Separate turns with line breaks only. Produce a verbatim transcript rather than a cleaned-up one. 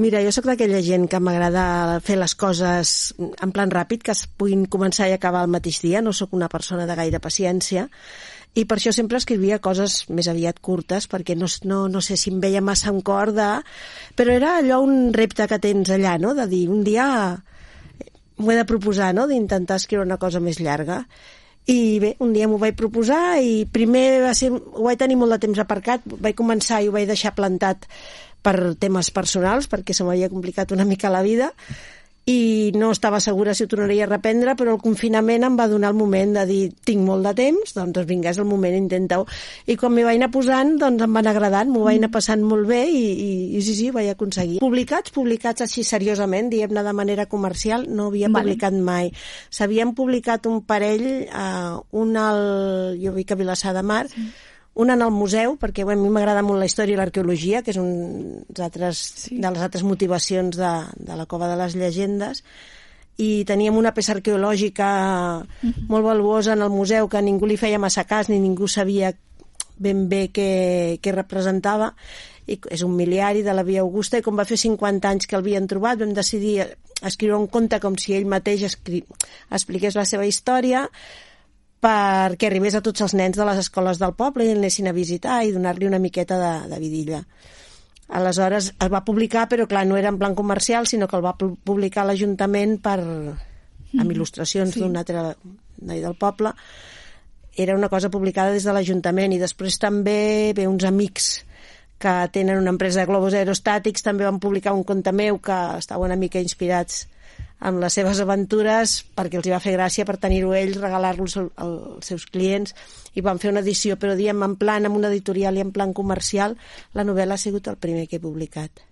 Mira, jo sóc d'aquella gent que m'agrada fer les coses en plan ràpid, que es puguin començar i acabar al mateix dia. No sóc una persona de gaire paciència i per això sempre escrivia coses més aviat curtes, perquè no, no, no sé si em veia massa en cor de... Però era allò un repte que tens allà, no?, de dir, un dia m'ho he de proposar, no?, d'intentar escriure una cosa més llarga. I bé, un dia m'ho vaig proposar i primer va ser, ho vaig tenir molt de temps aparcat, vaig començar i ho vaig deixar plantat per temes personals, perquè se m'havia complicat una mica la vida i no estava segura si ho tornaria a reprendre, però el confinament em va donar el moment de dir, tinc molt de temps, doncs vinga, és el moment, intenta-ho. I quan m'hi vaig anar posant, doncs em van agradant, m'ho vaig anar passant molt bé i, i, i sí, sí, ho vaig aconseguir. Publicats, publicats així seriosament, diguem-ne de manera comercial, no havia vale. publicat mai. S'havien publicat un parell, eh, un al, jo vic a Vilassar de Mar, sí. un en el museu, perquè bueno, a mi m'agrada molt la història i l'arqueologia, que és un altres, sí. de les altres motivacions de, de la Cova de les Llegendes, i teníem una peça arqueològica uh-huh. molt valuosa en el museu que ningú li feia massa cas, ni ningú sabia ben bé què, què representava, i és un miliari de la Via Augusta, i com va fer cinquanta anys que l'havien trobat, vam decidir escriure un conte com si ell mateix escri... expliqués la seva història, perquè arribés a tots els nens de les escoles del poble i anessin a visitar i donar-li una miqueta de, de vidilla. Aleshores es va publicar, però clar, no era en plan comercial, sinó que el va publicar l'Ajuntament per, amb il·lustracions sí. d'un altre noi del poble. Era una cosa publicada des de l'Ajuntament i després també ve uns amics que tenen una empresa de globus aerostàtics, també van publicar un conte meu que estava una mica inspirats amb les seves aventures, perquè els hi va fer gràcia per tenir-ho ells, regalar-los als seus clients, i van fer una edició, però diem en plan, amb una editorial i en plan comercial, la novel·la ha sigut el primer que he publicat.